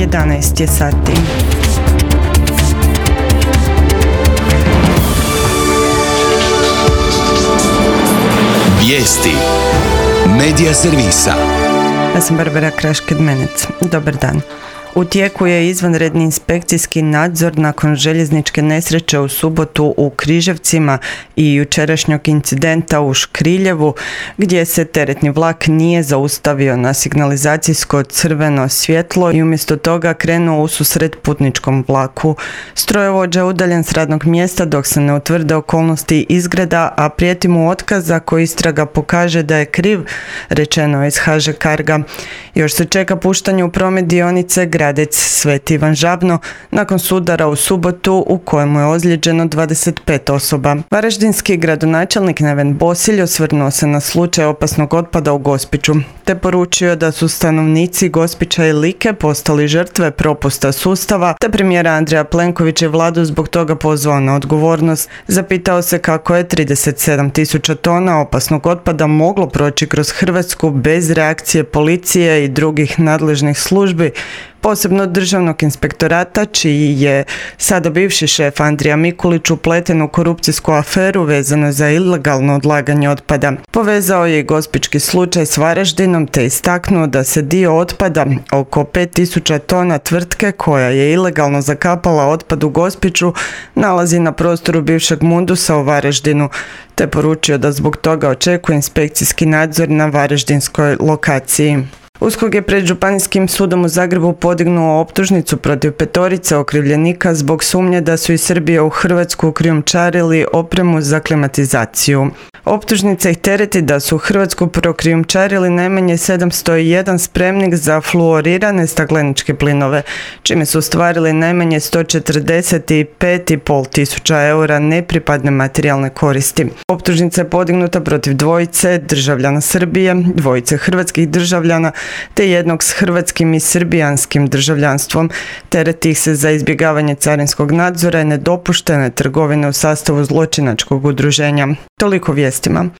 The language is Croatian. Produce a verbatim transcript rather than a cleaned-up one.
jedanaest je sati. Vijesti Medija servisa. Ja sam Barbara Kraš-Kedmenec. Dobar dan. U tijeku je izvanredni inspekcijski nadzor nakon željezničke nesreće u subotu u Križevcima i jučerašnjog incidenta u Škriljevu, gdje se teretni vlak nije zaustavio na signalizacijsko crveno svjetlo i umjesto toga krenuo ususret putničkom vlaku. Strojovođa je udaljen s radnog mjesta dok se ne utvrde okolnosti izgreda, a prijeti mu otkaz ako istraga pokaže da je kriv, rečeno je iz ha že Carga. Još se čeka puštanje u promet dionice Gradec Sveti Ivan Žabno nakon sudara u subotu u kojemu je ozlijeđeno dvadeset pet osoba. Varaždinski gradonačelnik Neven Bosilj osvrnuo se na slučaj opasnog otpada u Gospiću, te poručio da su stanovnici Gospića i Like postali žrtve propusta sustava, te premijera Andreja Plenkovića i vladu zbog toga pozvao na odgovornost. Zapitao se kako je trideset sedam tisuća tona opasnog otpada moglo proći kroz Hrvatsku bez reakcije policije i drugih nadležnih službi, posebno državnog inspektorata, čiji je sada bivši šef Andrija Mikulić upleten u korupcijsku aferu vezano za ilegalno odlaganje otpada. Povezao je i gospićki slučaj s Varaždinom te istaknuo da se dio otpada, oko pet tisuća tona tvrtke koja je ilegalno zakapala otpad u Gospiću, nalazi na prostoru bivšeg Mundusa u Varaždinu, te poručio da zbog toga očekuje inspekcijski nadzor na varaždinskoj lokaciji. USKOK je pred Županijskim sudom u Zagrebu podignuo optužnicu protiv petorice okrivljenika zbog sumnje da su iz Srbije u Hrvatsku krijumčarili opremu za klimatizaciju. Optužnica ih tereti da su u Hrvatsku prokrijumčarili najmanje sedamsto jedan spremnik za fluorirane stakleničke plinove, čime su ostvarili najmanje sto četrdeset pet i pol tisuća eura nepripadne materijalne koristi. Optužnica je podignuta protiv dvojice državljana Srbije, dvojice hrvatskih državljana, te jednog s hrvatskim i srbijanskim državljanstvom. Tereti ih se za izbjegavanje carinskog nadzora i nedopuštene trgovine u sastavu zločinačkog udruženja. Toliko vijestima.